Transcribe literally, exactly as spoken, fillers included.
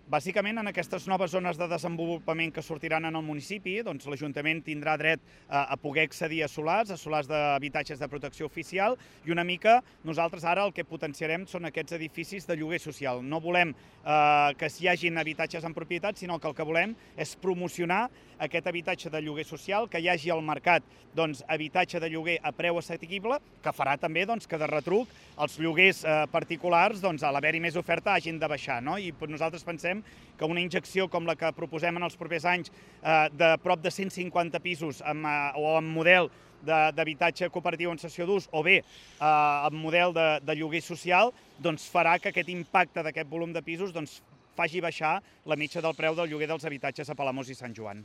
Bàsicament, en aquestes noves zones de desenvolupament que sortiran en el municipi, doncs l'Ajuntament tindrà dret a, a poder accedir a solars, a solars d'habitatges de protecció oficial, i una mica nosaltres ara el que potenciarem són aquests edificis de lloguer social. No volem eh, que hi hagin habitatges en propietat, sinó que el que volem és promocionar aquest habitatge de lloguer social, que hi hagi al mercat doncs, habitatge de lloguer a preu assequible, que farà també doncs, que de retruc els lloguers eh, particulars, doncs, a l'haver-hi més oferta, hagin de baixar. No? I nosaltres pensem que una injecció com la que proposem en els propers anys eh, de prop de cent cinquanta pisos amb, eh, o amb model d'habitatge cooperatiu en cessió d'ús o bé eh, amb model de, de lloguer social, doncs farà que aquest impacte d'aquest volum de pisos doncs, faci baixar la mitja del preu del lloguer dels habitatges a Palamós i Sant Joan.